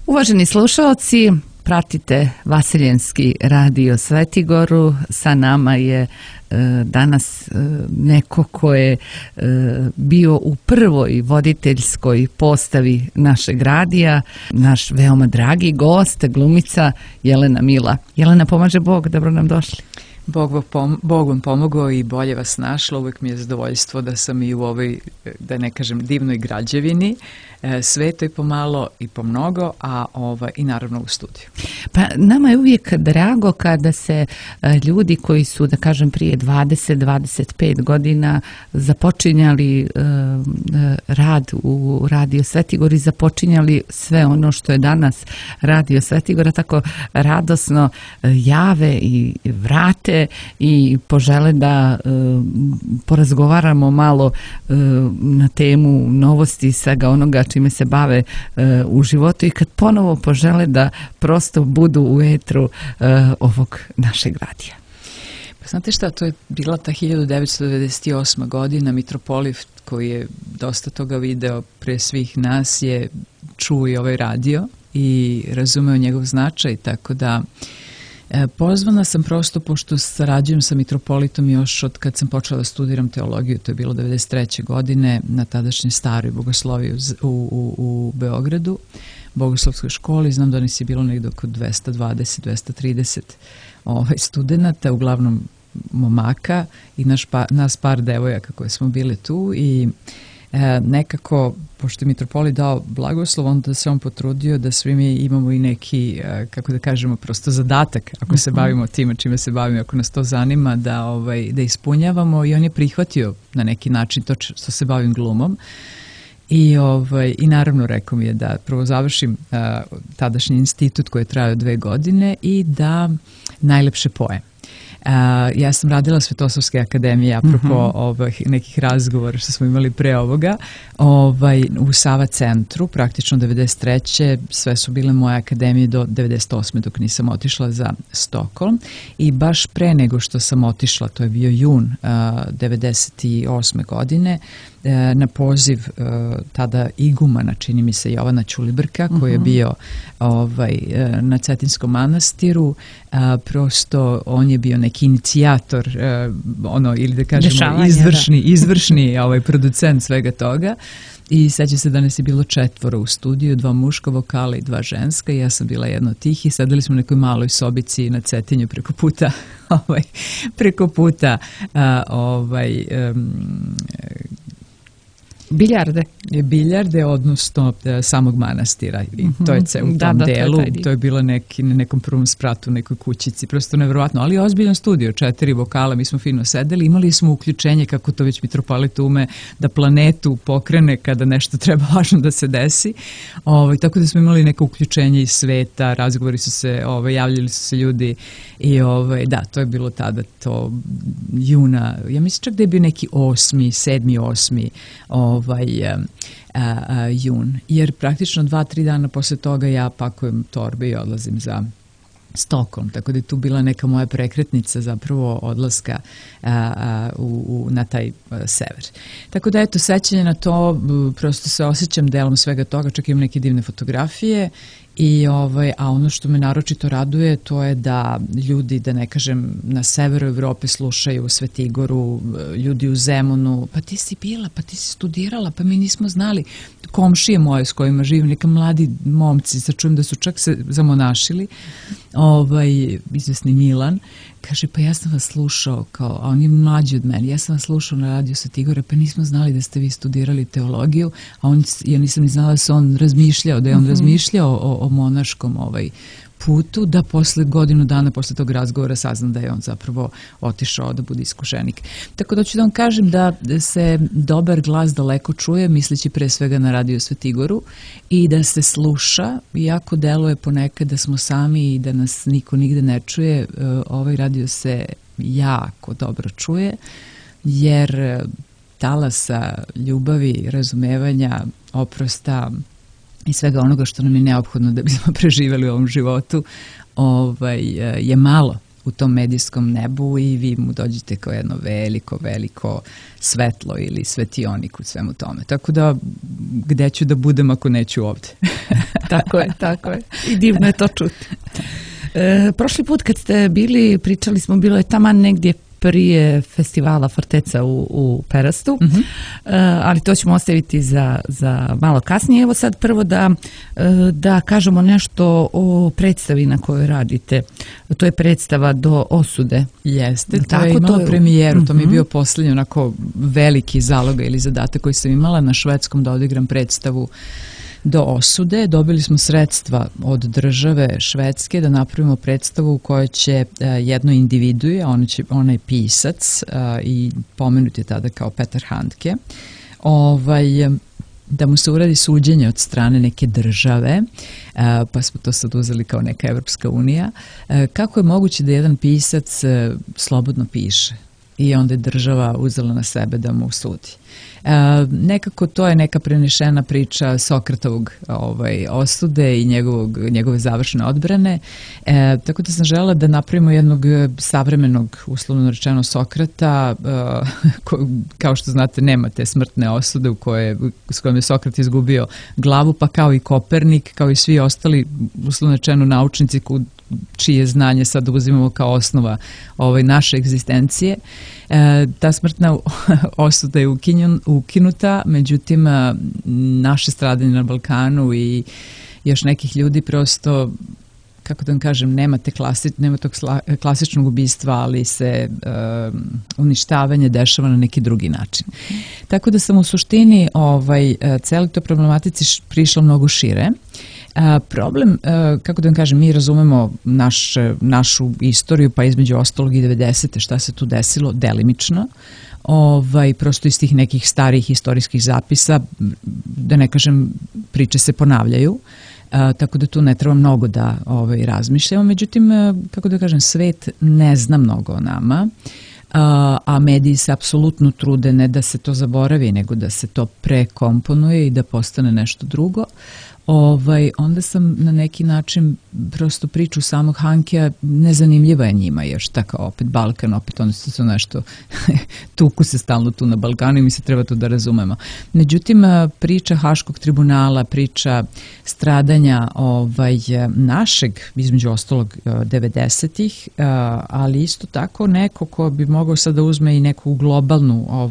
Uvaženi slušalci, pratite Vaseljenski radio Svetigoru. Sa nama je danas neko ko je bio u prvoj voditeljskoj postavi našeg radija, naš veoma dragi gost, glumica Jelena Mila. Jelena, pomaže Bog, dobro nam došli. Bog vam pomogao i bolje vas našla. Uvijek mi je zadovoljstvo da sam i u ovoj, da ne kažem, divnoj građevini, svetoj pomalo i pomnogo, a i naravno u studiju. Pa nama je uvijek drago kada se ljudi koji su, da kažem, prije 20-25 godina započinjali rad u Radio Svetigor i započinjali sve ono što je danas Radio Svetigora, tako radosno jave i vrate i požele da porazgovaramo malo na temu novosti i svega onoga čime se bave u životu i kad ponovo požele da prosto budu u etru ovog našeg radija. Pa znate šta, to je bila ta 1998. godina, mitropolit koji je dosta toga video pre svih nas je čuo i ovaj radio i razumeo njegov značaj, tako da pozvana sam prosto, pošto sarađujem sa mitropolitom još od kad sam počela da studiram teologiju, to je bilo 1993. godine na tadašnjoj staroj bogosloviji u Beogradu, bogoslovskoj školi. Znam da nas je bilo negdje oko 220-230 studenta, uglavnom momaka i nas par devojaka koje smo bile tu i nekako, pošto je mitropolit dao blagoslov, onda se on potrudio da svi mi imamo i neki, kako da kažemo, prosto zadatak, ako se bavimo time čime se bavimo, ako nas to zanima, da ispunjavamo, i on je prihvatio na neki način to što se bavim glumom. I naravno rekao mi je da prvo završim tadašnji institut koji je trajao 2 godine i da najlepše pojem. Ja sam radila Svetosavske akademije, apropo nekih razgovora što smo imali pre ovoga, u Sava centru, praktično 93. Sve su bile moje akademije do 98. dok nisam otišla za Stokholm i baš pre nego što sam otišla, to je bio jun 98. godine, na poziv tada igumana, čini mi se, Jovana Ćulibrka, koji je bio na Cetinskom manastiru. Prosto on je bio neki inicijator, ili da kažemo izvršni producent svega toga. I seća se da nas je bilo 4 u studiju, 2 muška vokala i 2 ženska i ja sam bila jedna od tih i sedeli smo u nekoj maloj sobici na Cetinju preko puta biljarde, odnosno samog manastira i to je u tom delu, to je bilo na nekom prvom spratu, u nekoj kućici, prosto nevjerovatno, ali ozbiljan studio, 4 vokala, mi smo fino sedeli, imali smo uključenje, kako to već mitropolit ume, da planetu pokrene kada nešto treba važno da se desi, tako da smo imali neko uključenje iz sveta, razgovori su se, javljali su se ljudi i da, to je bilo tada, to juna, ja mislim čak da je bio neki 7. 8. jun, jer praktično 2-3 dana posle toga ja pakujem torbe i odlazim za Stokholm, tako da je tu bila neka moja prekretnica zapravo odlaska na taj sever. Tako da eto, sećanje na to, prosto se osjećam delom svega toga, čak imam neke divne fotografije i a ono što me naročito raduje to je da ljudi, da ne kažem, na severu Evrope slušaju u Svetigoru, ljudi u Zemunu, pa ti si bila, pa ti si studirala, pa mi nismo znali. Komšije moje s kojima živim, neka mladi momci, sad čujem da su čak se zamonašili, izvesni Milan, kaže, pa ja sam vas slušao, a on je mlađi od mene, ja sam vas slušao na Radio Svetigora, pa nismo znali da ste vi studirali teologiju, a ja nisam ni znala da se on razmišljao, da je on razmišljao o monaškom putu, da posle godinu dana posle tog razgovora saznam da je on zapravo otišao da bude iskušenik. Tako da ću da vam kažem da se dobar glas daleko čuje, misleći pre svega na Radio Svetigoru, i da se sluša, iako deluje ponekad da smo sami i da nas niko nigde ne čuje, ovaj radio se jako dobro čuje, jer talasa ljubavi, razumevanja, oprosta i svega onoga što nam je neophodno da bismo preživjeli u ovom životu je malo u tom medijskom nebu i vi mu dođete kao jedno veliko svetlo ili svetionik u svemu tome. Tako da, gde ću da budem ako neću ovde? Tako je. I divno je to čuti. Prošli put kad ste bili, pričali smo, bilo je taman negdje prije festivala Forteca u Perastu, ali to ćemo ostaviti za malo kasnije. Evo sad prvo da kažemo nešto o predstavi na kojoj radite. To je predstava Do osude. Jeste, to je imalo premijeru, to mi je bio posljednji onako veliki zalogaj ili zadatak koji sam imala na švedskom da odigram predstavu Do osude. Dobili smo sredstva od države Švedske da napravimo predstavu u kojoj će jedno individuje, ona je pisac i pomenut je tada kao Petar Handke, da mu se uradi suđenje od strane neke države, pa smo to sad uzeli kao neka Evropska unija. Kako je moguće da jedan pisac slobodno piše? I onda je država uzela na sebe da mu sudi. Nekako to je neka prenešena priča Sokratovog osude i njegove završne odbrane. Tako da sam želela da napravimo jednog savremenog, uslovno rečeno, Sokrata, kao što znate nema te smrtne osude s kojom je Sokrat izgubio glavu, pa kao i Kopernik, kao i svi ostali, uslovno rečeno, naučnici čije znanje sad uzimamo kao osnova naše egzistencije. Ta smrtna osuda je ukinuta, međutim naše stradanje na Balkanu i još nekih ljudi prosto, kako da vam kažem, nema tog klasičnog ubistva, ali se uništavanje dešava na neki drugi način. Tako da sam u suštini celoj toj problematici prišla mnogo šire. Problem, kako da vam kažem, mi razumemo našu istoriju, pa između ostalog i 90. šta se tu desilo, delimično. Prosto iz tih nekih starih istorijskih zapisa, da ne kažem, priče se ponavljaju, tako da tu ne treba mnogo da razmišljamo. Međutim, kako da kažem, svet ne zna mnogo o nama, a mediji se apsolutno trude ne da se to zaboravi, nego da se to prekomponuje i da postane nešto drugo. Onda sam na neki način prosto priču samog Hankea nezanimljiva je njima, jer šta kao opet Balkan, opet oni su nešto tuku se stalno tu na Balkanu i mi se treba to da razumemo. Međutim, priča Haškog tribunala, priča stradanja našeg, između ostalog 90-ih, ali isto tako neko ko bi mogao sad da uzme i neku globalnu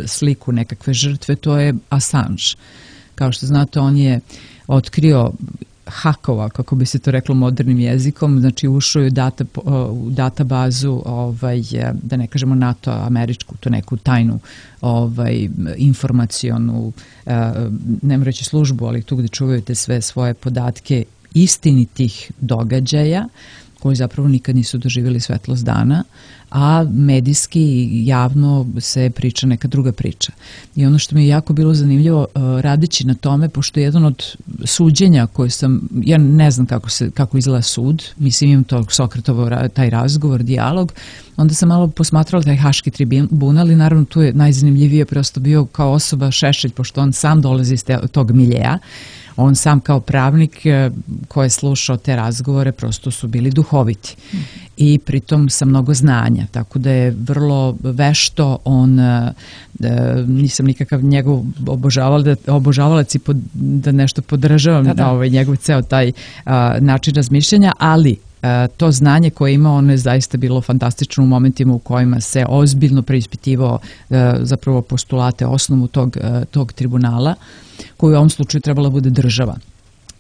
sliku nekakve žrtve, to je Assange. Kao što znate, on je otkrio hakova, kako bi se to reklo modernim jezikom, znači ušao je u databazu, da ne kažemo NATO američku, to neku tajnu informacionu, ne moram reći službu, ali tu gde čuvaju te sve svoje podatke istinitih događaja, koji zapravo nikad nisu doživjeli svetlost dana, a medijski i javno se priča neka druga priča. I ono što mi je jako bilo zanimljivo radeći na tome, pošto je jedan od suđenja koje ja ne znam kako izgleda sud, mislim imam to Sokratovo, taj razgovor, dijalog, onda sam malo posmatrala taj Haški tribunal i naravno tu je najzanimljivije prosto bio kao osoba Šešelj, pošto on sam dolazi iz tog miljeja. On sam kao pravnik koji je slušao te razgovore prosto su bili duhoviti i pritom sa mnogo znanja, tako da je vrlo vešto on, nisam nikakav njegov obožavalac i da nešto podržavam njegov ceo taj način razmišljanja, ali to znanje koje ima, ono je zaista bilo fantastično u momentima u kojima se ozbiljno preispitivao zapravo postulate, osnovu tog tribunala, koji u ovom slučaju trebala bude država.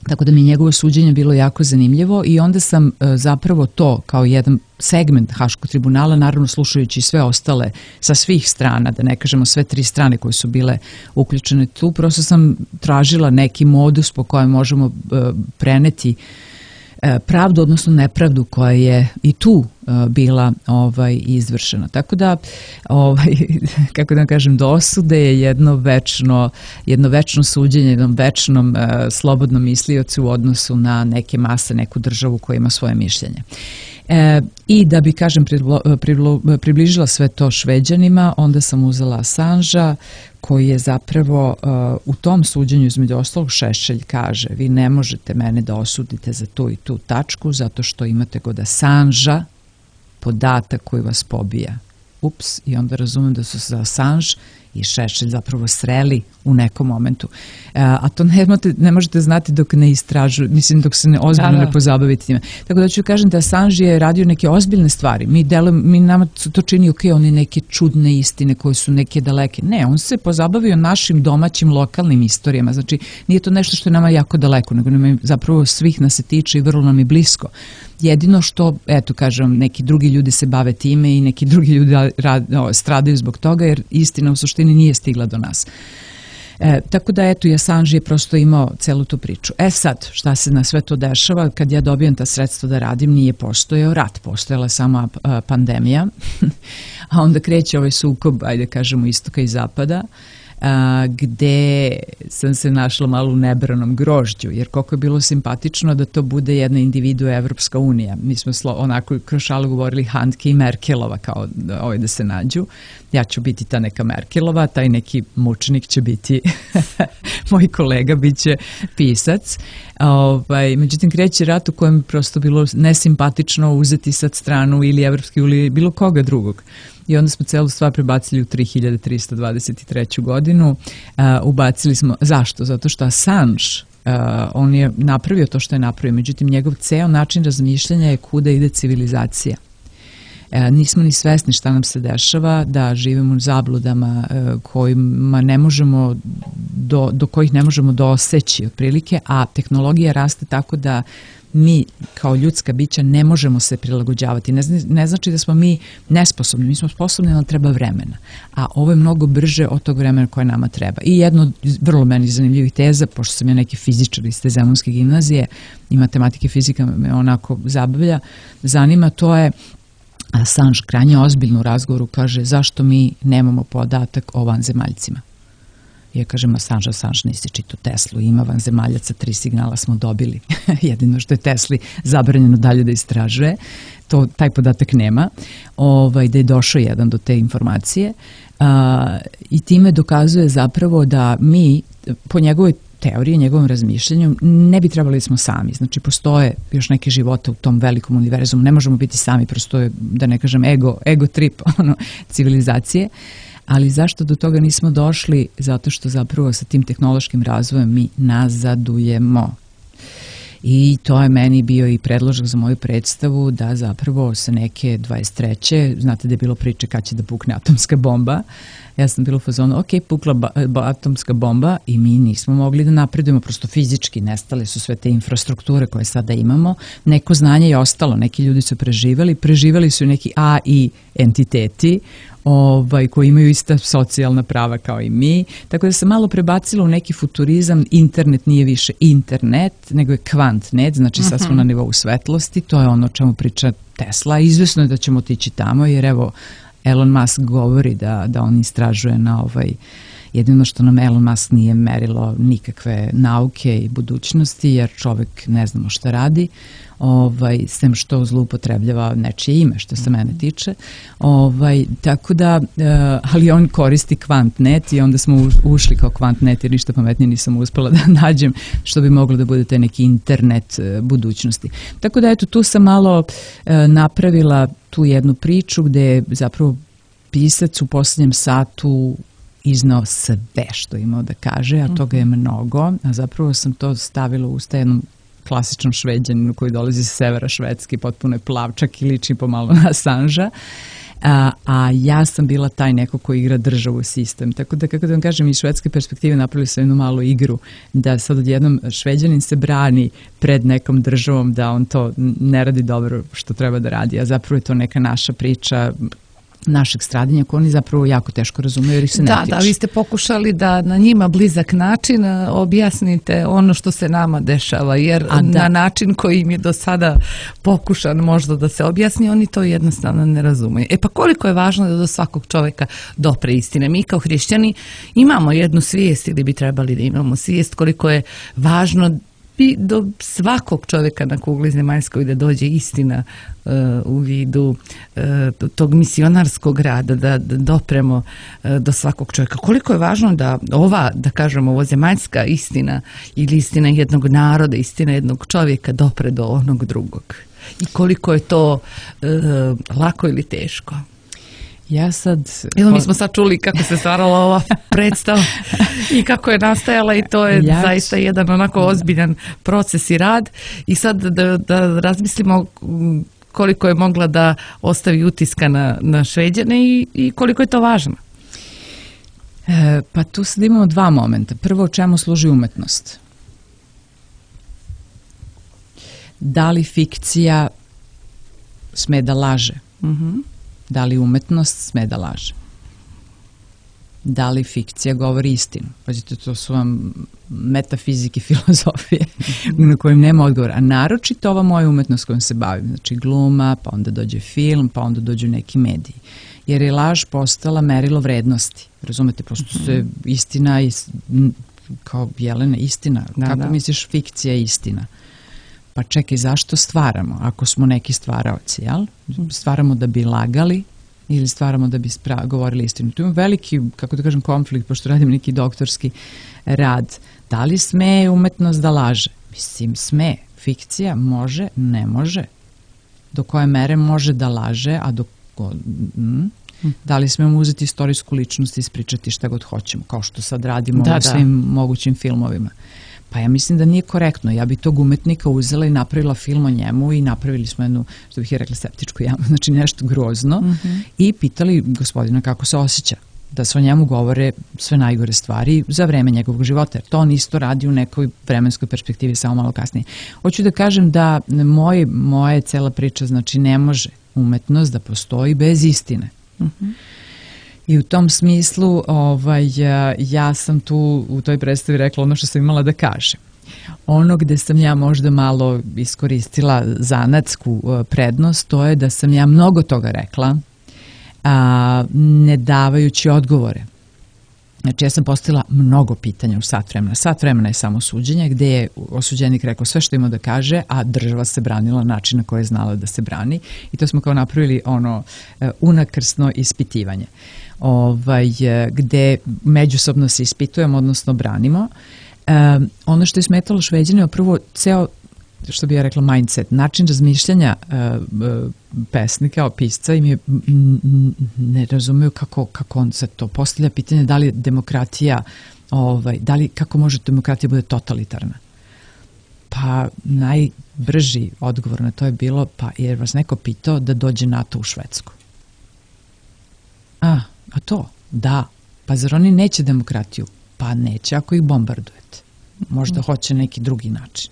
Tako da mi njegovo suđenje bilo jako zanimljivo i onda sam zapravo to kao jedan segment Haškog tribunala, naravno slušajući sve ostale sa svih strana, da ne kažemo sve tri strane koje su bile uključene tu, prosto sam tražila neki modus po kojem možemo preneti pravdu, odnosno nepravdu koja je i tu bila izvršena. Tako da, kako da kažem, do osude je jedno večno suđenje, jednom večnom slobodnom misliocu u odnosu na neke mase, neku državu koja ima svoje mišljenje. I da bi, kažem, približila sve to Šveđanima, onda sam uzela Assangea, koji je zapravo u tom suđenju između ostalog Šešelj kaže: vi ne možete mene da osudite za tu i tu tačku zato što imate kod Assangea podatak koji vas pobija. Ups, i onda razumem da su se Assange i Šešelj zapravo sreli u nekom momentu. A to ne možete znati dok ne istražuju, mislim dok se ozbiljno ne pozabavite time. Tako da ću kažem da Assange je radio neke ozbiljne stvari. Nama to čini oni neke čudne istine koje su neke daleke. Ne, on se pozabavio našim domaćim lokalnim istorijama. Znači nije to nešto što je nama jako daleko, nego zapravo svih nas se tiče i vrlo nam je blisko. Jedino što, eto kažem, neki drugi ljudi se bave time i neki drugi ljudi stradaju zbog toga jer istina u suštini nije stigla do nas. Tako da eto i Assange je prosto imao celu tu priču. Sad, šta se na sve to dešava? Kad ja dobijem ta sredstva da radim, nije postojao rat, postojala je sama pandemija, a onda kreće ovaj sukob, ajde kažemo, istoka i zapada, gde sam se našla malo u nebranom grožđu, jer koliko je bilo simpatično da to bude jedna individua Evropska unija. Mi smo onako kroz šalu govorili Handke i Merkelova kao da se nađu. Ja ću biti ta neka Merkelova, taj neki mučenik će biti moj kolega, bit će pisac. Međutim, kreće rat u kojem prosto bilo nesimpatično uzeti sad stranu ili Evropske ili bilo koga drugog. I onda smo celu stvar prebacili u 3323. godinu. Ubacili smo, zašto? Zato što Assange, on je napravio to što je napravio, međutim njegov ceo način razmišljanja je kuda ide civilizacija. Nismo ni svesni šta nam se dešava, da živimo u zabludama kojima ne možemo, do kojih ne možemo doseći otprilike, a tehnologija raste tako da mi kao ljudska bića ne možemo se prilagođavati. Ne znači da smo mi nesposobni, mi smo sposobni, ali treba vremena. A ovo je mnogo brže od tog vremena koje nama treba. I jedno od vrlo meni zanimljivih teza, pošto sam ja neki fizičar iz te Zemunske gimnazije i matematike i fizika me onako zanima, to je Assange krajnje ozbiljno u razgovoru kaže zašto mi nemamo podatak o vanzemaljcima. Ja kažem, Assange, nisi čitao Teslu, ima vanzemaljaca, 3 signala smo dobili. Jedino što je Tesli zabranjeno dalje da istražuje, taj podatak nema, da je došao jedan do te informacije i time dokazuje zapravo da mi, po njegovoj teoriji, njegovom razmišljanju, ne bi trebali smo sami. Znači, postoje još neke živote u tom velikom univerzumu, ne možemo biti sami, prosto je, da ne kažem, ego trip civilizacije. Ali zašto do toga nismo došli? Zato što zapravo sa tim tehnološkim razvojem mi nazadujemo. I to je meni bio i predložak za moju predstavu da zapravo sa neke 23. znate da je bilo priče kad će da pukne atomska bomba. Ja sam bila u fazonu, pukla atomska bomba i mi nismo mogli da napredujemo, prosto fizički nestale su sve te infrastrukture koje sada imamo. Neko znanje je ostalo, neki ljudi su preživali su neki AI entiteti koji imaju ista socijalna prava kao i mi. Tako da se malo prebacilo u neki futurizam, internet nije više internet, nego je kvantnet, znači sad smo na nivou svetlosti, to je ono o čemu priča Tesla. Izvesno je da ćemo otići tamo, jer evo, Elon Musk govori da on istražuje na jedino što nam Elon Musk nije merilo nikakve nauke i budućnosti, jer čovek ne znamo šta radi, sem što zloupotrebljava nečije ime, što se mene tiče. Tako da, ali on koristi kvantnet i onda smo ušli kao kvantnet, jer ništa pametnije nisam uspela da nađem što bi moglo da bude taj neki internet budućnosti. Tako da, eto, tu sam malo napravila tu jednu priču gde je zapravo pisac u posljednjem satu iznao sve što imao da kaže, a toga je mnogo, a zapravo sam to stavila u usta jednom klasičnom Šveđaninu koji dolazi sa severa Švedske, potpuno je plav, čak i liči pomalo na Assangea, a ja sam bila taj neko koji igra državu sistem. Tako da, kako da vam kažem, iz švedske perspektive napravili su jednu malu igru, da sad odjednom Šveđanin se brani pred nekom državom da on to ne radi dobro što treba da radi, a zapravo je to neka naša priča našeg stradanja koje oni zapravo jako teško razumeju jer ih se ne tiče. Da, vi ste pokušali da na njima blizak način objasnite ono što se nama dešava, jer na način koji im je do sada pokušan možda da se objasni, oni to jednostavno ne razumeju. Pa koliko je važno da do svakog čoveka dopre istine? Mi kao hrišćani imamo jednu svijest ili bi trebali da imamo svijest koliko je važno bi do svakog čovjeka na kugli zemaljskoj da dođe istina u vidu tog misionarskog rada, da dopremo do svakog čovjeka. Koliko je važno da da kažemo, ovo zemaljska istina ili istina jednog naroda, istina jednog čovjeka dopre do onog drugog. I koliko je to lako ili teško? Evo, mi smo sad čuli kako se stvarala ova predstava i kako je nastajala, i to je zaista jedan onako ozbiljan proces i rad. I sad da razmislimo koliko je mogla da ostavi utiska na Šveđane i koliko je to važno. Pa tu sad imamo dva momenta. Prvo, čemu služi umetnost? Da li fikcija sme da laže? Da li umetnost sme da laže? Da li fikcija govori istinu? Pazite, to su vam metafizike, filozofije na kojim nema odgovora. A naročito ova moja umetnost kojom se bavim. Znači gluma, pa onda dođe film, pa onda dođu neki mediji. Jer je laž postala merilo vrednosti. Razumete, pošto se istina, kao Jelena, istina. Kako misliš fikcija je istina? Pa čekaj, zašto stvaramo? Ako smo neki stvaraoci, jel? Stvaramo da bi lagali ili stvaramo da bi govorili istinu? Tu ima veliki, kako da kažem, konflikt, pošto radim neki doktorski rad. Da li sme umetnost da laže? Mislim, sme. Fikcija može, ne može. Do koje mere može da laže, a da li smemo uzeti istorijsku ličnost i ispričati šta god hoćemo, kao što sad radimo u svim mogućim filmovima. Pa ja mislim da nije korektno. Ja bi tog umetnika uzela i napravila film o njemu i napravili smo jednu, što bih je rekla, septičku jamu, znači nešto grozno, i pitali gospodina kako se osjeća, da se o njemu govore sve najgore stvari za vreme njegovog života. Jer to on isto radi u nekoj vremenskoj perspektivi, samo malo kasnije. Hoću da kažem da moja cela priča, znači ne može umetnost da postoji bez istine. I u tom smislu ja sam tu u toj predstavi rekla ono što sam imala da kažem. Ono gde sam ja možda malo iskoristila zanatsku prednost, to je da sam ja mnogo toga rekla, ne davajući odgovore. Znači ja sam postavila mnogo pitanja u sat vremena. Sat vremena je samo suđenje gde je osuđenik rekao sve što ima da kaže, a država se branila na način na koji je znala da se brani. I to smo kao napravili unakrsno ispitivanje. Gde međusobno se ispitujemo, odnosno branimo. Ono što je smetalo Šveđane, prvo ceo, što bi ja rekla, mindset, način razmišljanja pesnika, pisca, im je ne razumiju kako on se to postavlja pitanje, da li demokratija, kako može demokratija bude totalitarna. Pa najbrži odgovor na to je bilo, pa jer vas neko pitao da dođe NATO u Švedsku. A to? Da. Pa zar oni neće demokratiju? Pa neće ako ih bombardujete. Možda hoće neki drugi način.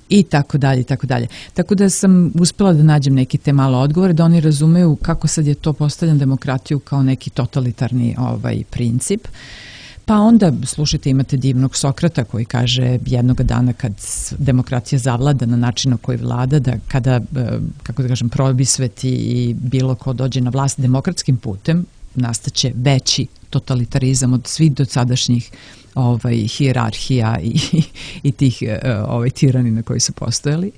I tako dalje, i tako dalje. Tako da sam uspela da nađem neki te malo odgovore, da oni razumeju kako sad je to postavljam demokratiju kao neki totalitarni princip. Pa onda, slušajte, imate divnog Sokrata koji kaže jednog dana kad demokratija zavlada na način na koji vlada, da kada, kako da kažem, probisveti i bilo ko dođe na vlast demokratskim putem, nastaće veći totalitarizam od svih dosadašnjih hijerarhija i tih tiranina koji su postojali.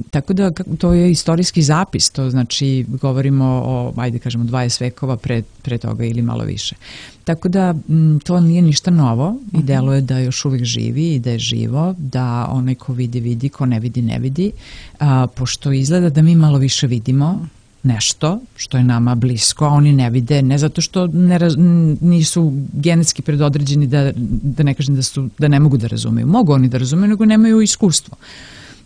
Tako da to je istorijski zapis, to znači govorimo o, ajde kažemo, 20 vekova pre toga ili malo više. Tako da to nije ništa novo i deluje da još uvijek živi i da je živo, da onaj ko vidi, vidi, ko ne vidi, ne vidi, pošto izgleda da mi malo više vidimo nešto što je nama blisko, a oni ne vide, ne zato što nisu genetski predodređeni, da ne kažem da ne mogu da razumeju. Mogu oni da razumeju, nego nemaju iskustvo.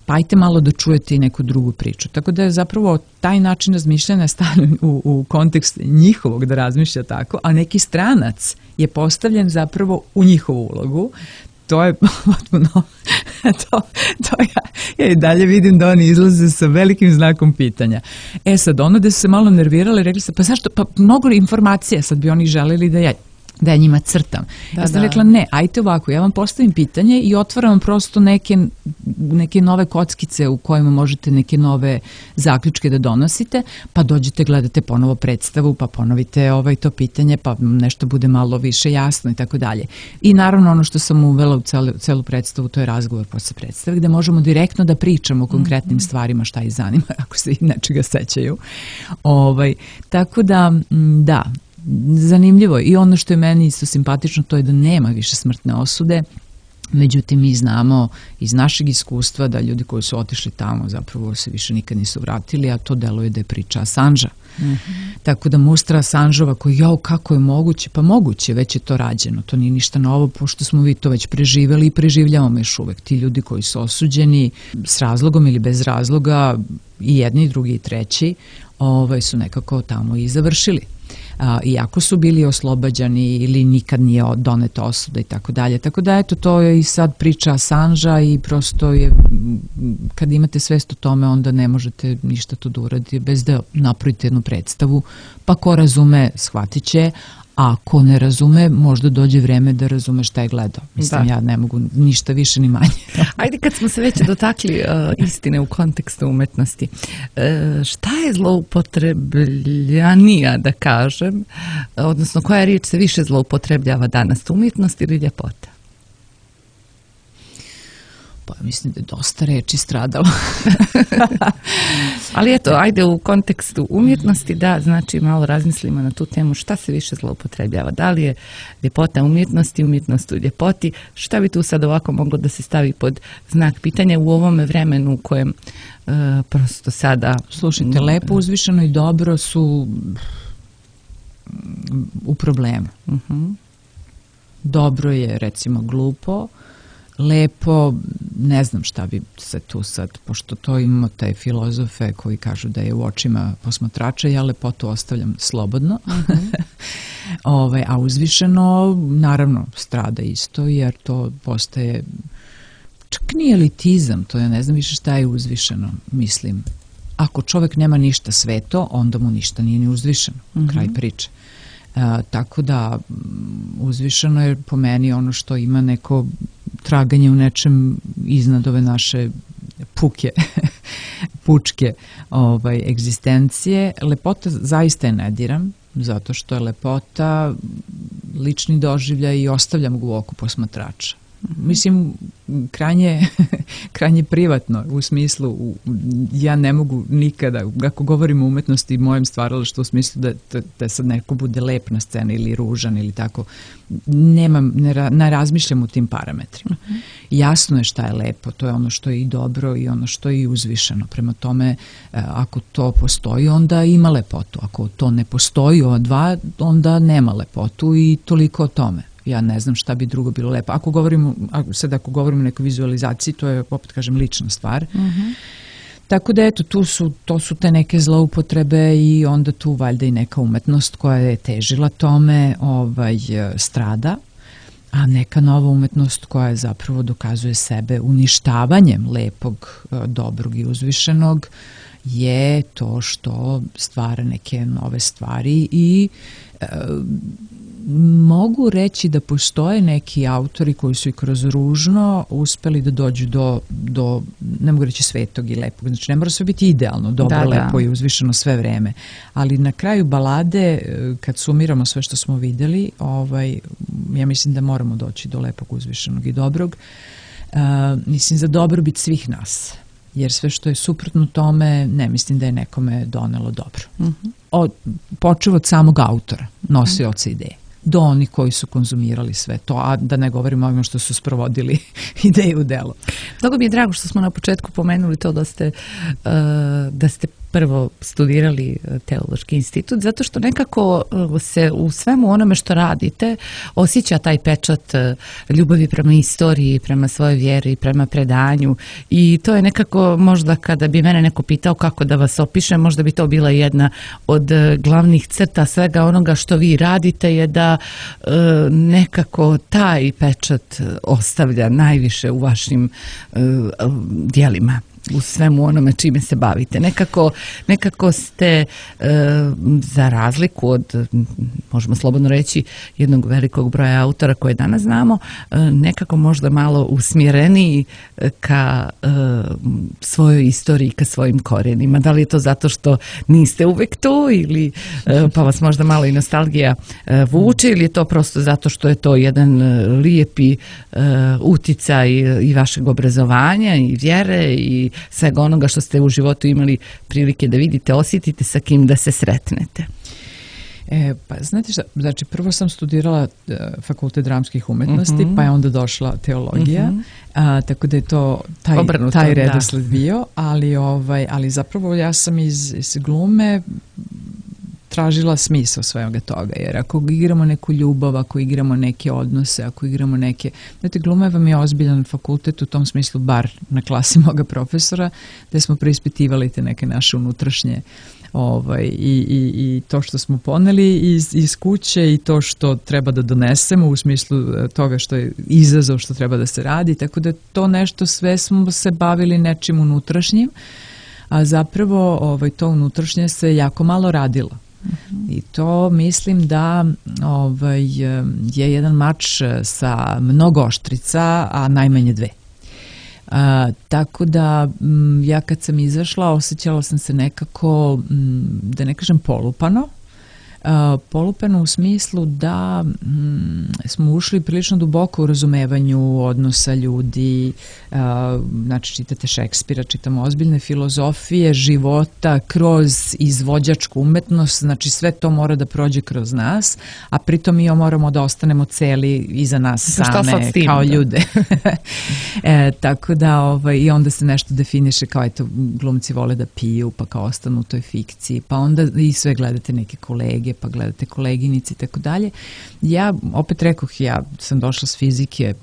Pa ajte malo da čujete i neku drugu priču. Tako da je zapravo taj način razmišljanja stavljen u kontekst njihovog da razmišlja tako, a neki stranac je postavljen zapravo u njihovu ulogu. To je potpuno, ja i dalje vidim da oni izlaze sa velikim znakom pitanja. Sad, ono da su se malo nervirali, rekli se, pa zašto, pa mnogo informacija, sad bi oni želeli da ja da ja njima crtam. Ja sam rekla ne, ajte ovako, ja vam postavim pitanje i otvaram prosto neke nove kockice u kojima možete neke nove zaključke da donosite, pa dođete, gledate ponovo predstavu, pa ponovite to pitanje, pa nešto bude malo više jasno i tako dalje. I naravno ono što sam uvela u celu predstavu, to je razgovor posle predstave, gde možemo direktno da pričamo o konkretnim stvarima šta ih zanima, ako se i nečega sećaju. Tako da, da, zanimljivo je. I ono što je meni isto simpatično, to je da nema više smrtne osude. Međutim, mi znamo iz našeg iskustva da ljudi koji su otišli tamo zapravo se više nikad nisu vratili, a to deluje da je priča Assangea. Tako da mustra Assangeova koji, kako je moguće? Pa moguće, već je to rađeno. To nije ništa novo, pošto smo vi to već preživjeli i preživljavamo još uvek. Ti ljudi koji su osuđeni s razlogom ili bez razloga, i jedni, i drugi, i treći, su nekako tamo i završili. Iako su bili oslobađani ili nikad nije doneta osuda i tako dalje. Tako da, eto, to je i sad priča Assangea i prosto je, kad imate svest o tome, onda ne možete ništa to da uradite bez da napravite jednu predstavu, pa ko razume, shvatit će, a ko ne razume, možda dođe vreme da razume šta je gledao. Mislim, ja ne mogu ništa više ni manje. Ajde, kad smo se već dotakli istine u kontekstu umetnosti, šta je zloupotrebljanija, da kažem, odnosno koja riječ se više zloupotrebljava danas, umjetnost ili ljepota? Pa mislim da je dosta reči stradalo. Ali eto, ajde u kontekstu umjetnosti da, znači malo razmislimo na tu temu šta se više zloupotrebljava. Da li je ljepota umjetnosti, umjetnost u ljepoti? Šta bi tu sad ovako moglo da se stavi pod znak pitanja u ovome vremenu u kojem prosto sada... Slušajte, lepo, uzvišeno i dobro su u problemu. Dobro je, recimo, glupo. Lepo, ne znam šta bi se tu sad, pošto to imamo te filozofe koji kažu da je u očima posmatrača, ja lepotu ostavljam slobodno. A uzvišeno, naravno, strada isto, jer to postaje, čak nije elitizam, to ja ne znam više šta je uzvišeno, mislim. Ako čovek nema ništa sveto, onda mu ništa nije ni uzvišeno, kraj priče. Tako da uzvišeno je po meni ono što ima neko traganje u nečem iznad ove naše pučke egzistencije. Lepota zaista je ne diram, zato što je lepota lični doživljaj i ostavljam ga u oku posmatrača. Mislim, krajnje privatno, u smislu, ja ne mogu nikada, ako govorim o umetnosti i mojem stvaralaštvu, u smislu da sad neko bude lep na sceni ili ružan ili tako, ne razmišljam u tim parametrima. Jasno je šta je lepo, to je ono što je i dobro i ono što je i uzvišeno. Prema tome, ako to postoji, onda ima lepotu. Ako to ne postoji, ova dva, onda nema lepotu i toliko o tome. Ja ne znam šta bi drugo bilo lepo. Ako govorimo o nekoj vizualizaciji, to je, opet kažem, lična stvar. Tako da, eto, to su te neke zloupotrebe i onda tu valjda i neka umetnost koja je težila tome strada, a neka nova umetnost koja zapravo dokazuje sebe uništavanjem lepog, dobrog i uzvišenog je to što stvara neke nove stvari i mogu reći da postoje neki autori koji su i kroz ružno uspeli da dođu do ne mogu reći svetog i lepog. Znači, ne mora sve biti idealno, dobro, lepo i uzvišeno sve vreme. Ali na kraju balade, kad sumiramo sve što smo videli, ja mislim da moramo doći do lepog, uzvišenog i dobrog. Mislim, za dobrobit svih nas. Jer sve što je suprotno tome, ne mislim da je nekome donelo dobro. Počev od samog autora, nosioca ideje, do onih koji su konzumirali sve to, a da ne govorimo o ovima što su sprovodili ideju u delo. Mnogo mi je drago što smo na početku pomenuli to da ste prvo studirali Teološki institut, zato što nekako se u svemu onome što radite osjeća taj pečat ljubavi prema istoriji, prema svojoj vjeri, prema predanju i to je nekako možda kada bi mene neko pitao kako da vas opišem, možda bi to bila jedna od glavnih crta svega onoga što vi radite je da nekako taj pečat ostavlja najviše u vašim djelima. u svemu onome čime se bavite. Nekako ste za razliku od, možemo slobodno reći, jednog velikog broja autora koje danas znamo, nekako možda malo usmjereniji ka svojoj istoriji, ka svojim korijenima. Da li je to zato što niste uvek tu ili pa vas možda malo i nostalgija vuče ili je to prosto zato što je to jedan lijepi uticaj i vašeg obrazovanja i vjere i svega onoga što ste u životu imali prilike da vidite, osjetite, sa kim da se sretnete? Pa znate šta, znači prvo sam studirala Fakultet dramskih umetnosti, pa je onda došla teologija, tako da je to taj redosled bio, ali zapravo ja sam iz glume tražila smisao svega toga, jer ako igramo neku ljubav, ako igramo neke odnose, ako igramo neke... Znate, gluma vam je ozbiljan fakultet u tom smislu, bar na klasi moga profesora, da smo preispitivali te neke naše unutrašnje i to što smo poneli iz kuće i to što treba da donesemo u smislu toga što je izazov što treba da se radi, tako da to nešto sve smo se bavili nečim unutrašnjim, a zapravo to unutrašnje se jako malo radilo. I to mislim da je jedan mač sa mnogo oštrica, a najmanje dve. Tako da ja kad sam izašla osjećala sam se nekako, da ne kažem polupano, polupano u smislu da smo ušli prilično duboko u razumevanju odnosa ljudi, znači čitate Šekspira, čitamo ozbiljne filozofije života kroz izvođačku umetnost, znači sve to mora da prođe kroz nas, a pritom mi moramo da ostanemo celi iza nas same kao ljude. Tako da i onda se nešto definiše kao eto glumci vole da piju pa kao ostanu u toj fikciji, pa onda i sve gledate neke kolege, pa gledate koleginici i tako dalje. Ja, opet rekoh, ja sam došla s fizike,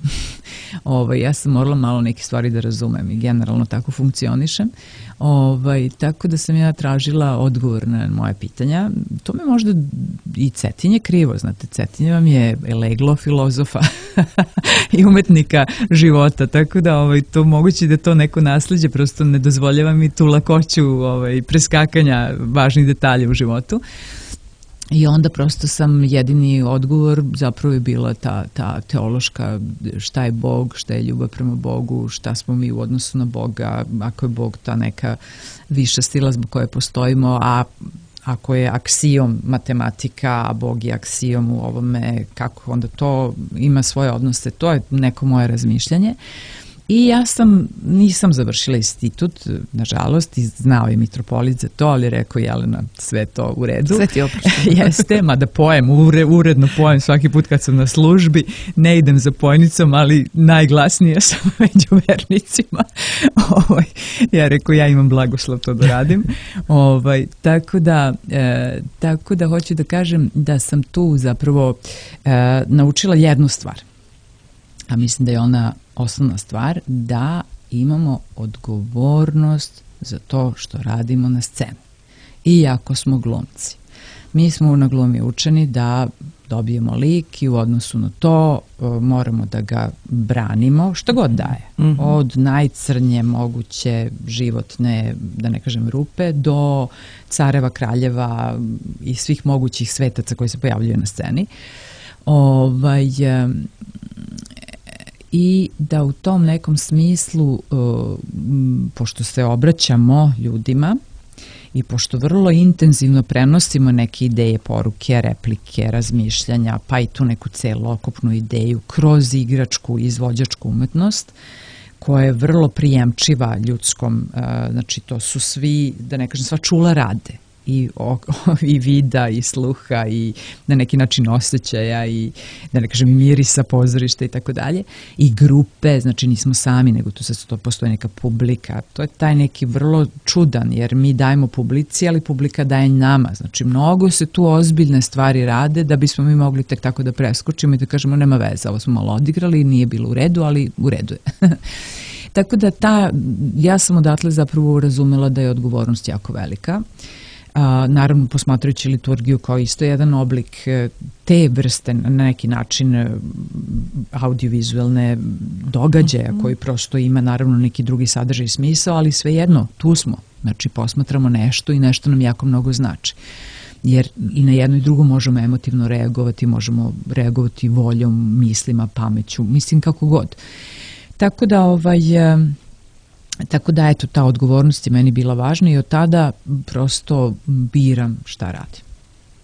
ja sam morala malo neke stvari da razumem i generalno tako funkcionišem. Tako da sam ja tražila odgovor na moje pitanja. To me možda i Cetinje krivo, znate, Cetinje vam je leglo filozofa i umetnika života, tako da to moguće da to neko nasljeđe, prosto ne dozvoljava mi tu lakoću preskakanja važnih detalja u životu. I onda prosto sam jedini odgovor zapravo je bila ta teološka, šta je Bog, šta je ljubav prema Bogu, šta smo mi u odnosu na Boga, ako je Bog ta neka viša sila zbog koje postojimo, a ako je aksijom matematika, a Bog je aksijom u ovome, kako onda to ima svoje odnose, to je neko moje razmišljanje. I ja nisam završila institut, nažalost, i znao je mitropolit za to, ali rekao Jelena, sve to u redu. Sve ti oprošteno. Jeste, mada pojem, uredno pojem svaki put kad sam na službi, ne idem za pojnicom, ali najglasnije sam među vernicima. Ja rekao, ja imam blagoslov to da radim. Tako da hoću da kažem da sam tu zapravo naučila jednu stvar. A mislim da je ona osnovna stvar, da imamo odgovornost za to što radimo na sceni. Iako smo glumci. Mi smo na glumi učeni da dobijemo lik i u odnosu na to moramo da ga branimo što god daje. Od najcrnje moguće životne, da ne kažem rupe, do careva, kraljeva i svih mogućih svetaca koji se pojavljaju na sceni. I da u tom nekom smislu, pošto se obraćamo ljudima i pošto vrlo intenzivno prenosimo neke ideje, poruke, replike, razmišljanja, pa i tu neku celokupnu ideju kroz igračku, izvođačku umetnost, koja je vrlo prijemčiva ljudskom, znači to su svi, da ne kažem, sva čula rade. I vida i sluha i na neki način osjećaja i da ne kažem i mirisa pozorišta i tako dalje i grupe, znači nismo sami nego tu postoji neka publika, to je taj neki vrlo čudan jer mi dajemo publici ali publika daje nama, znači mnogo se tu ozbiljne stvari rade da bismo mi mogli tek tako da preskočimo i da kažemo nema veze, ovo smo malo odigrali, nije bilo u redu, ali u redu je. Tako da ja sam odatle zapravo razumela da je odgovornost jako velika. naravno posmatrajući liturgiju kao isto jedan oblik te vrste na neki način audiovizualne događaja koji prosto ima naravno neki drugi sadržaj i smisao, ali svejedno, tu smo. Znači posmatramo nešto i nešto nam jako mnogo znači. Jer i na jedno i drugo možemo emotivno reagovati, možemo reagovati voljom, mislima, pameću, mislim kako god. Tako da eto, ta odgovornost je meni bila važna i od tada prosto biram šta radim.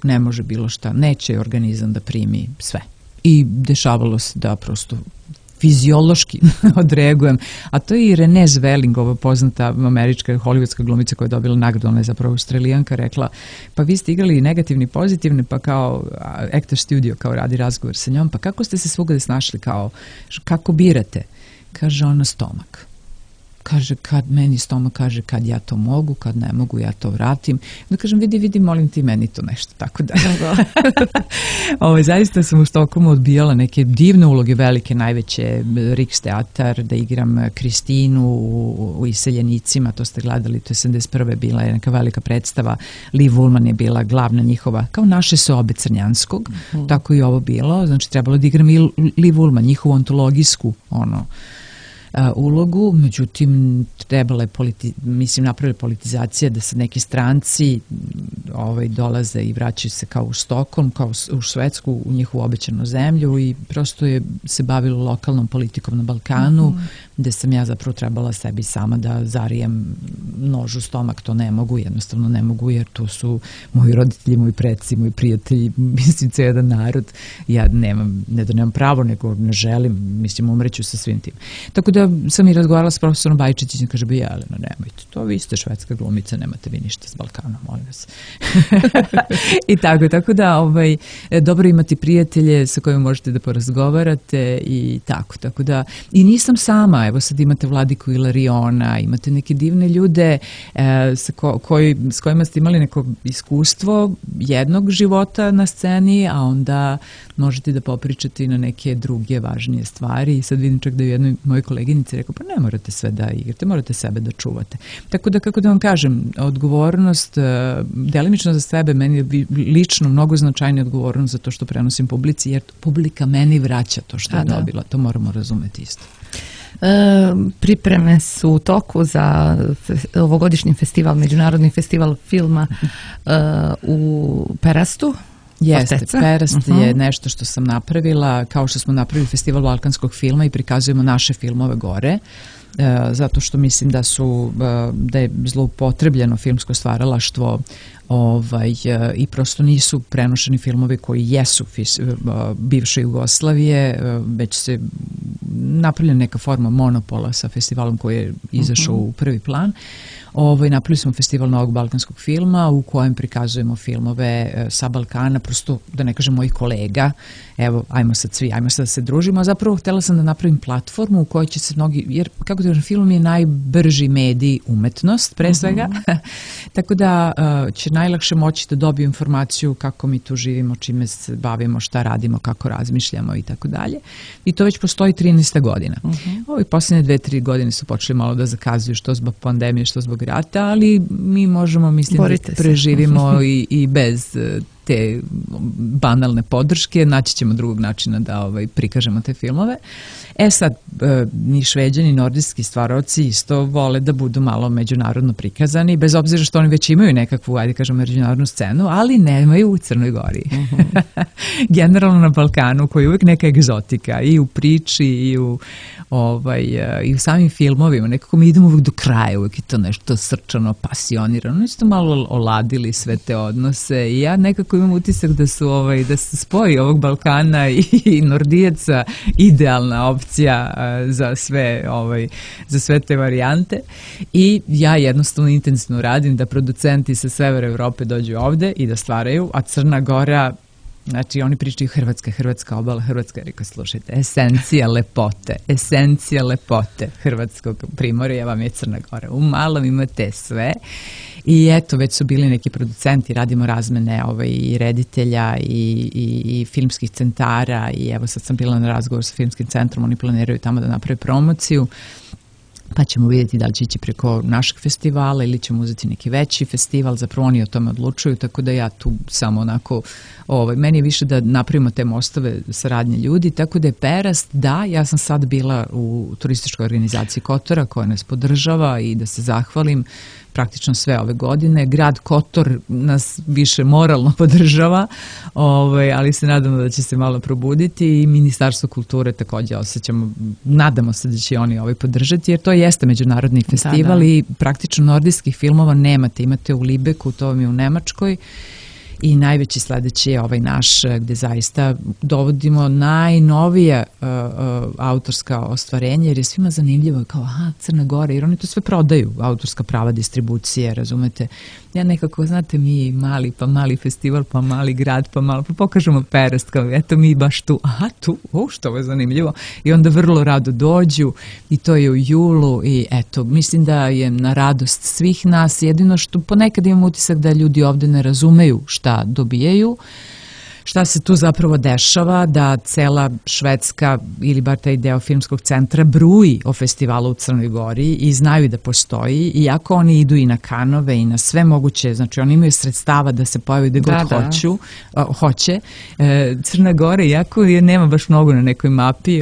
Ne može bilo šta, neće organizam da primi sve. I dešavalo se da prosto fiziološki odreagujem. A to je i Renée Zellweger, ova poznata američka hollywoodska glumica koja je dobila nagradu, ona je zapravo Australijanka, rekla, pa vi ste igrali negativni i pozitivni, pa kao Actor Studio, kao radi razgovor sa njom, pa kako ste se svugde snašli, kao, kako birate? Kaže ona, stomak. Kaže, kad meni stomak kaže kad ja to mogu, kad ne mogu, ja to vratim. Da kažem, vidi, molim ti meni to nešto, tako da. Zaista sam u Stokholmu odbijala neke divne uloge, velike, najveće, Riksteatar, da igram Kristinu u Iseljenicima, to ste gledali, to je 71. bila je neka velika predstava, Liv Ullmann je bila glavna njihova, kao naše sobe Crnjanskog, tako i ovo bilo, znači trebalo da igram i Liv Ullmann, njihovu ontologijsku, ulogu, međutim trebala je napravila politizacija da sad neki stranci dolaze i vraćaju se kao u Stokholm, kao u Švedsku, u njihovu obećanu zemlju i prosto je se bavilo lokalnom politikom na Balkanu, gde sam ja zapravo trebala sebi sama da zarijem nož u stomak, to ne mogu, jednostavno ne mogu, jer to su moji roditelji, moji preci, moji prijatelji, mislim, cijel jedan narod. Ja ne da nemam pravo, nego ne želim, mislim, umreću sa svim tim. Tako da sam i razgovarala s profesorom Bajčićem i kaže, Jelena, nemojte to, vi ste švedska glumica, nemate vi ništa s Balkanom, molim vas. I tako da dobro imati prijatelje sa kojima možete da porazgovarate i tako da, i nisam sama, evo sad imate Vladiku Ilariona, imate neke divne ljude s kojima ste imali neko iskustvo jednog života na sceni, a onda možete da popričate i na neke druge važnije stvari i sad vidim čak da je jednoj mojoj koleginici rekao, pa ne morate sve da igrate, morate sebe da čuvate. Tako da, kako da vam kažem, odgovornost, delimično za sebe, meni je lično mnogo značajnija odgovornost za to što prenosim publici, jer publika meni vraća to što je dobila, to moramo razumeti isto. Pripreme su u toku za ovogodišnji festival, međunarodni festival filma u Perastu. Jeste, Perast je nešto što sam napravila, kao što smo napravili festival balkanskog filma i prikazujemo naše filmove gore, zato što mislim da je zloupotrebljeno filmsko stvaralaštvo i prosto nisu prenošeni filmovi koji jesu bivše Jugoslavije, već se napravljena neka forma monopola sa festivalom koji je izašao u prvi plan. Napravili smo festival novog balkanskog filma u kojem prikazujemo filmove sa Balkana, prosto da ne kažem mojih kolega, evo ajmo sad da se družimo, a zapravo htjela sam da napravim platformu u kojoj će se mnogi, jer kako da kažem, film je najbrži medij, umetnost pre svega, tako da će najlakše moći da dobiju informaciju kako mi tu živimo, čime se bavimo, šta radimo, kako razmišljamo i tako dalje. I to već postoji 13. godina. Ovi posljednje 2-3 godine su počeli malo da zakazuju, što zbog pandemije, što zbog rata, ali mi možemo, mislim, da preživimo i bez te banalne podrške, naći ćemo drugog načina da prikažemo te filmove. Sad, ni Šveđani, nordijski stvaraoci isto vole da budu malo međunarodno prikazani, bez obzira što oni već imaju nekakvu, ajde kažemo, međunarodnu scenu, ali nemaju u Crnoj Gori. Generalno na Balkanu, koji je uvijek neka egzotika, i u priči, i u samim filmovima, nekako mi idemo uvijek do kraja, uvijek je to nešto srčano, pasionirano, isto malo oladili sve te odnose i ja nekako imam utisak da se spoji ovog Balkana i Nordijaca idealna opcija za sve te varijante i ja jednostavno intenzivno radim da producenti sa severa Evrope dođu ovde i da stvaraju, a Crna Gora, znači oni pričaju Hrvatska obala, Hrvatska, rekao, slušajte, esencija lepote Hrvatskog primorja vam je Crna Gora. U malom imate sve i eto, već su bili neki producenti, radimo razmene i reditelja i filmskih centara i evo sad sam bila na razgovor sa filmskim centrom, oni planiraju tamo da naprave promociju. pa ćemo vidjeti da li će ići preko našeg festivala ili ćemo uzeti neki veći festival, zapravo oni o tome odlučuju, tako da ja tu samo onako, meni je više da napravimo te mostove saradnje ljudi, tako da je Perast, da, ja sam sad bila u turističkoj organizaciji Kotora koja nas podržava i da se zahvalim praktično sve ove godine. Grad Kotor nas više moralno podržava, ali se nadamo da će se malo probuditi i Ministarstvo kulture također osjećamo, nadamo se da će oni podržati, jer to jeste međunarodni festival i praktično nordijskih filmova nemate. Imate u Libeku, to vam je u Nemačkoj, i najveći sledeći je ovaj naš, gde zaista dovodimo najnovije autorska ostvarenja, jer je svima zanimljivo kao, Crna Gora, jer oni to sve prodaju, autorska prava, distribucije, razumete. Ja nekako, znate, mi mali festival, pa mali grad, pa pokažemo Perast, kao eto mi baš tu, tu, što je zanimljivo, i onda vrlo rado dođu i to je u julu i eto, mislim da je na radost svih nas, jedino što ponekad imam utisak da ljudi ovde ne razumeju šta dobijaju, šta se tu zapravo dešava, da cela Švedska ili bar taj deo filmskog centra bruji o festivalu u Crnoj Gori i znaju da postoji, iako oni idu i na Kanove i na sve moguće, znači oni imaju sredstava da se pojave gde god hoće. Crna Gora, iako je nema baš mnogo na nekoj mapi,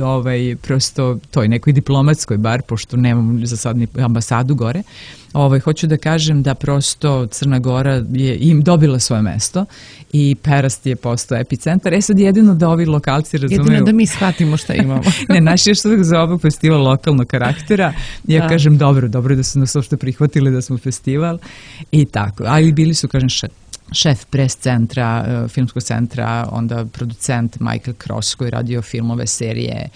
prosto toj nekoj diplomatskoj bar, pošto nemamo za sad ni ambasadu gore, hoću da kažem da prosto Crna Gora je im dobila svoje mesto i Perast je postao epicentar. Sad jedino da ovi lokalci razumeju... Jedino da mi shvatimo šta imamo. Ne, naš je još uvijek za ovog festival lokalnog karaktera. Ja kažem dobro da su nas uopšte prihvatili da smo festival i tako. Ali bili su, kažem, šef pres centra, filmskog centra, onda producent Michael Cross koji radio filmove, serije,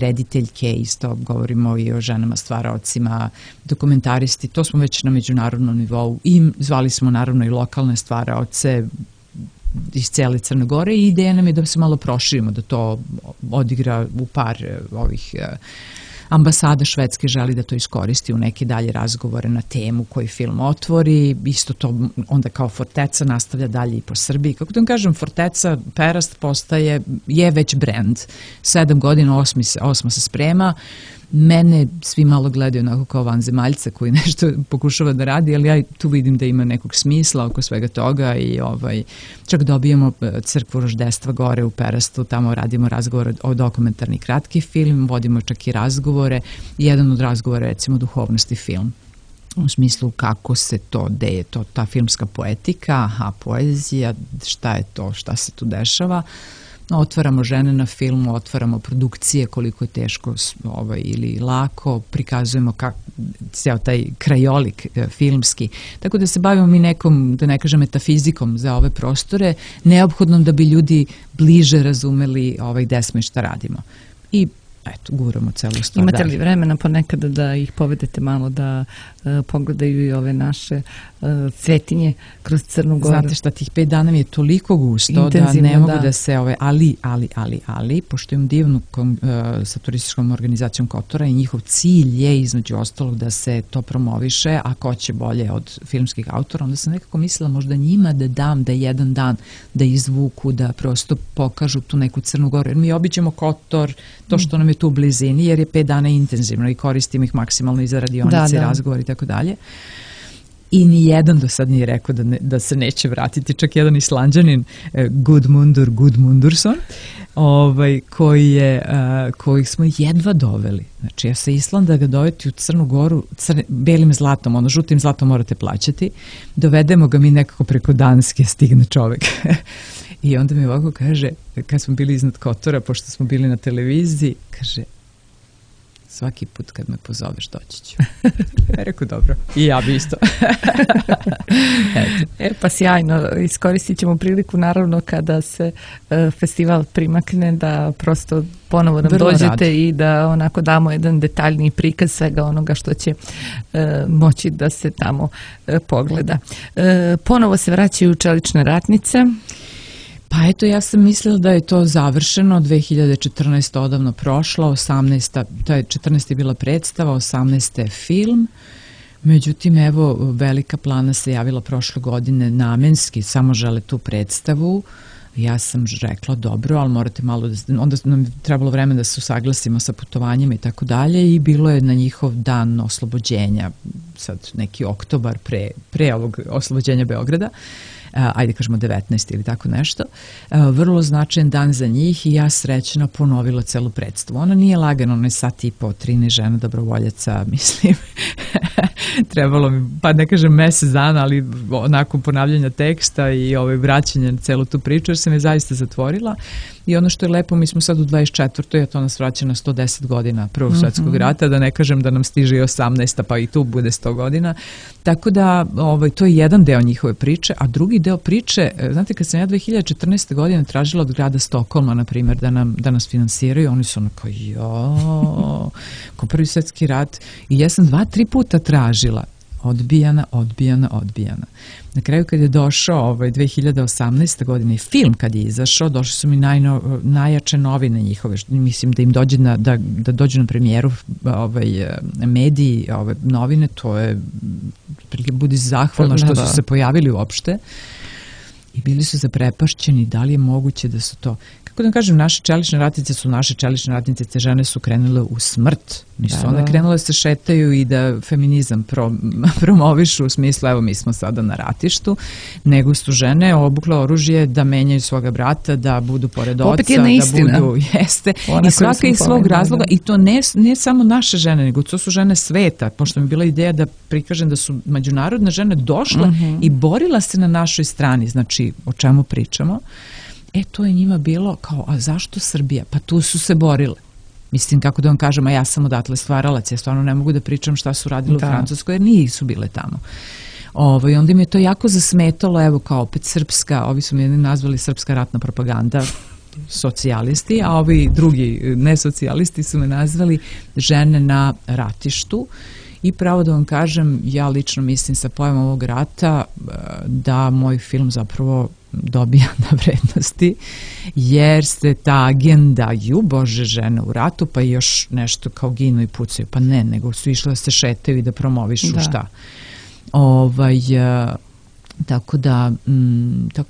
rediteljke, isto govorimo i o ženama stvaraocima, dokumentaristi, to smo već na međunarodnom nivou i zvali smo naravno i lokalne stvaraoce iz cele Crne Gore i ideja nam je da se malo proširimo, da to odigra u par ovih ambasada Švedske želi da to iskoristi u neke dalje razgovore na temu koji film otvori, isto to onda kao Forteca nastavlja dalje i po Srbiji. Kako da vam kažem, Forteca, Perast je već brand. 7 godina, 8 se sprema. Mene svi malo gledaju onako kao vanzemaljca koji nešto pokušava da radi, ali ja tu vidim da ima nekog smisla oko svega toga i čak dobijemo crkvu roždestva gore u Perastu, tamo radimo razgovor o dokumentarni kratki film, vodimo čak i razgovore. Jedan od razgovora je recimo duhovnosti film. U smislu kako se to, gde je to ta filmska poetika, poezija, šta je to, šta se tu dešava. Otvaramo žene na filmu, otvaramo produkcije, koliko je teško ili lako, prikazujemo ceo taj krajolik filmski. Tako da se bavimo mi nekom, da ne kažem, metafizikom za ove prostore, neophodnom da bi ljudi bliže razumeli gde smo i šta radimo. I eto, guramo celu stvar. Imate li vremena ponekada da ih povedete malo da pogledaju i ove naše cvetinje kroz Crnu Goru? Znate šta, tih 5 dana mi je toliko gusto da ne mogu da se ali, pošto imam divnu sa turističkom organizacijom Kotora i njihov cilj je između ostalog da se to promoviše, a ko će bolje od filmskih autora, onda sam nekako mislila možda njima da dam da jedan dan da izvuku, da prosto pokažu tu neku Crnu Goru, jer mi obiđemo Kotor, to što nam je tu u blizini, jer je 5 dana intenzivno i koristimo ih maksimalno i za radionice, razgovor i tako dalje. I nijedan do sad nije rekao da se neće vratiti, čak jedan Islanđanin, Gudmundursson, koji smo jedva doveli. Znači, ja sa Islanda ga doveti u Crnu Goru, belim zlatom, žutim zlatom morate plaćati, dovedemo ga mi nekako preko Danske, stigne čovek. I onda mi ovako kaže, kad smo bili iznad Kotora, pošto smo bili na televiziji, kaže, svaki put kad me pozoveš doći ću. Rekao, dobro. I ja bi isto. Pa sjajno. Iskoristit ćemo priliku naravno kada se festival primakne da prosto ponovo nam dođete i da onako damo jedan detaljni prikaz svega onoga što će moći da se tamo pogleda. Ponovo se vraćaju čelične ratnice. Pa eto, ja sam mislila da je to završeno, 2014. odavno prošla, 14. je bila predstava, 18. je film, međutim, evo, Velika Plana se javila prošle godine namenski, samo žele tu predstavu, Ja sam rekla dobro, ali morate malo onda nam je trebalo vreme da se usaglasimo sa putovanjima i tako dalje i bilo je na njihov dan oslobođenja, sad neki oktobar pre ovog oslobođenja Beograda, ajde kažemo 19 ili tako nešto, vrlo značajan dan za njih i ja srećna ponovila celu predstavu. Ona nije lagana, ona je sat i po, 13 žena dobrovoljaca, mislim, trebalo mi, pa ne kažem mesec dana, ali nakon ponavljanja teksta i vraćanja na celu tu priču, jer sam je zaista zatvorila. I ono što je lepo, mi smo sad u 24. a to nas vraća na 110 godina Prvog svjetskog rata, da ne kažem da nam stiže i 18. pa i tu bude 100 godina. Tako da to je jedan deo njihove priče, a drugi deo priče, znate, kad sam ja 2014. godine tražila od grada Stokholma, na primjer, da nas finansiraju, oni su ono kao Prvi svjetski rat, i ja sam 2-3 puta tražila, odbijana. Na kraju kad je došao 2018. godine i film kad je izašao, došli su mi najjače novine njihove, mislim da im dođe da dođu na premijeru mediji, novine, to je, budi zahvalna što su se pojavili uopšte i bili su zaprepašćeni da li je moguće da su to, kako da kažem, naše čelične ratnice su naše čelične ratnice, te žene su krenule u smrt. Nisu one krenule da se šetaju i da feminizam promovišu u smislu, evo mi smo sada na ratištu, nego su žene obukle oružje da menjaju svoga brata, da budu pored oca, da budu, jeste, i svaka iz svog razloga, i to ne samo naše žene, nego to su žene sveta, pošto mi je bila ideja da prikažem da su međunarodne žene došle i borila se na našoj strani, znači o čemu pričamo. To je njima bilo kao, a zašto Srbija? Pa tu su se borile. Mislim, kako da vam kažem, a ja sam odatle stvaralac, ja stvarno ne mogu da pričam šta su radili u Francuskoj, jer nisu bile tamo. I onda mi je to jako zasmetalo, evo kao opet srpska, ovi su mi nazvali srpska ratna propaganda, socijalisti, a ovi drugi nesocijalisti su me nazvali žene na ratištu. I pravo da vam kažem, ja lično mislim sa pojavom ovog rata da moj film zapravo dobija na vrednosti, jer se ta agenda, Bože, žene u ratu, pa još nešto kao ginu i pucaju, pa ne, nego su išle da se šetaju i da promovišu šta. Tako da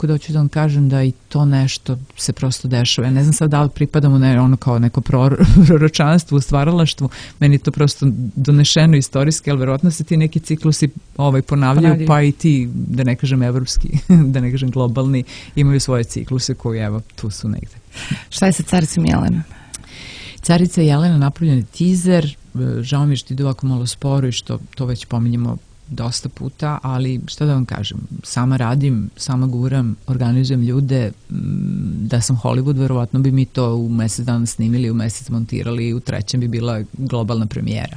hoću da vam kažem da i to nešto se prosto dešava. Ja ne znam sad da li pripadamo ono kao neko proročanstvo u stvaralaštvu, meni to prosto donešeno istorijski, ali verovatno se ti neki ciklusi ponavljaju, pa i ti, da ne kažem evropski, da ne kažem globalni, imaju svoje cikluse koji evo tu su negde. Šta je sa Caricom Jelenom? Carica Jelena napravljen je teaser, žao mi je što ide ovako malo sporo i što to već pominjemo dosta puta, ali šta da vam kažem, sama radim, sama guram, organizujem ljude, da sam Hollywood, verovatno bi mi to u mesec dana snimili, u mesec montirali i u 3. bi bila globalna premijera.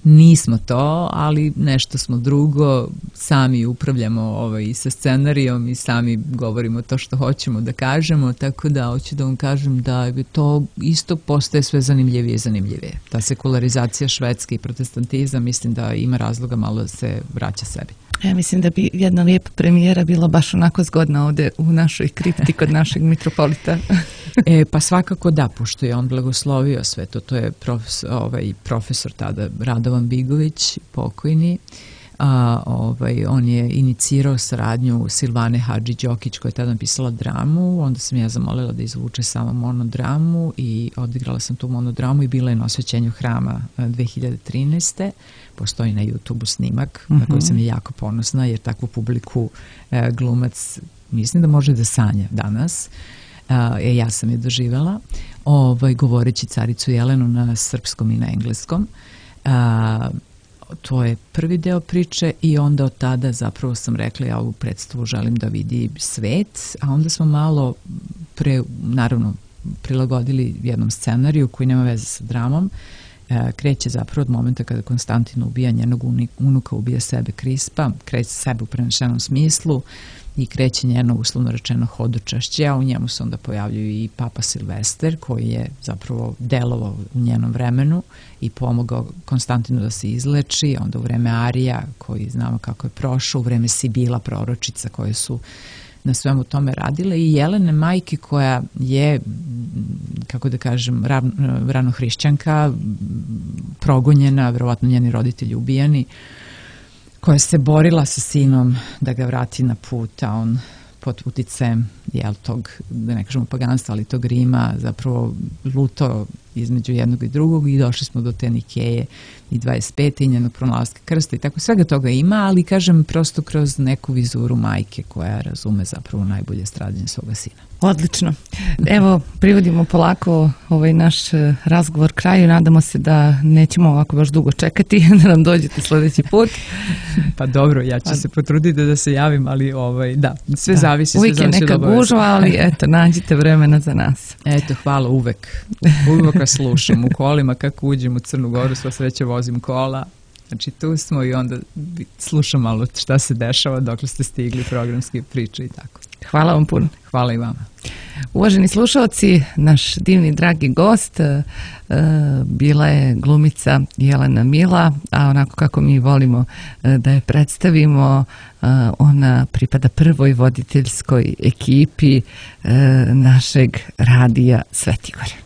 Nismo to, ali nešto smo drugo, sami upravljamo i sa scenarijom i sami govorimo to što hoćemo da kažemo, tako da hoću da vam kažem da to isto postaje sve zanimljivije i zanimljivije. Ta sekularizacija Švedske i protestantizam, mislim da ima razloga malo da se vraća sebi. Ja mislim da bi jedna lijepa premijera bila baš onako zgodna ovdje u našoj kripti kod našeg mitropolita. Pa svakako da, pošto je on blagoslovio sve to. To je profesor tada Radovan Bigović, pokojni. On je inicirao saradnju Silvane Hadži-Đokić koja je tada napisala dramu, onda sam ja zamolila da izvuče samo monodramu i odigrala sam tu monodramu i bila je na osvećenju hrama 2013. Postoji na YouTube-u snimak na koji sam je jako ponosna, jer takvu publiku glumac mislim da može da sanja danas. Ja sam je doživjela govoreći Caricu Jelenu na srpskom i na engleskom. To je prvi deo priče i onda od tada zapravo sam rekla ja ovu predstavu želim da vidi svet, a onda smo malo naravno prilagodili jednom scenariju koji nema veze sa dramom. Kreće zapravo od momenta kada Konstantin ubija njenog unuka, ubija sebe Krispa, kreće sebe u prenešenom smislu i kreće njeno uslovno rečeno hodočašće, a u njemu se onda pojavljuju i Papa Silvester koji je zapravo delovao u njenom vremenu i pomogao Konstantinu da se izleči, onda u vreme Arija koji znamo kako je prošao, u vreme Sibila proročica koje su na svemu tome radile i Jelene majke koja je, kako da kažem, ranohrišćanka, progonjena, verovatno njeni roditelji ubijani, koja se borila sa sinom da ga vrati na put, a on pod uticajem tog, da ne kažemo paganstva, ali tog Rima zapravo lutao između jednog i drugog i došli smo do te Nikeje i 25. i njenog pronalaska krsta i tako svega toga ima, ali kažem prosto kroz neku vizuru majke koja razume zapravo najbolje stradanje svoga sina. Odlično. Evo, privodimo polako ovaj naš razgovor kraju. Nadamo se da nećemo ovako baš dugo čekati da nam dođete sljedeći put. Pa dobro, ja ću se potruditi da se javim, ali da, sve zavisi. Uvijek je neka gužva, ali eto, nađite vremena za nas. Eto, hvala, uvek vas slušam u kolima, kako uđem u Crnu Goru, sva sreća vozim kola. Znači tu smo i onda slušam malo šta se dešava dokle ste stigli, programske priče i tako. Hvala vam puno. Hvala i vama. Uvaženi slušalci, naš divni dragi gost bila je glumica Jelena Mila, a onako kako mi volimo da je predstavimo, ona pripada prvoj voditeljskoj ekipi našeg radija Svetigore.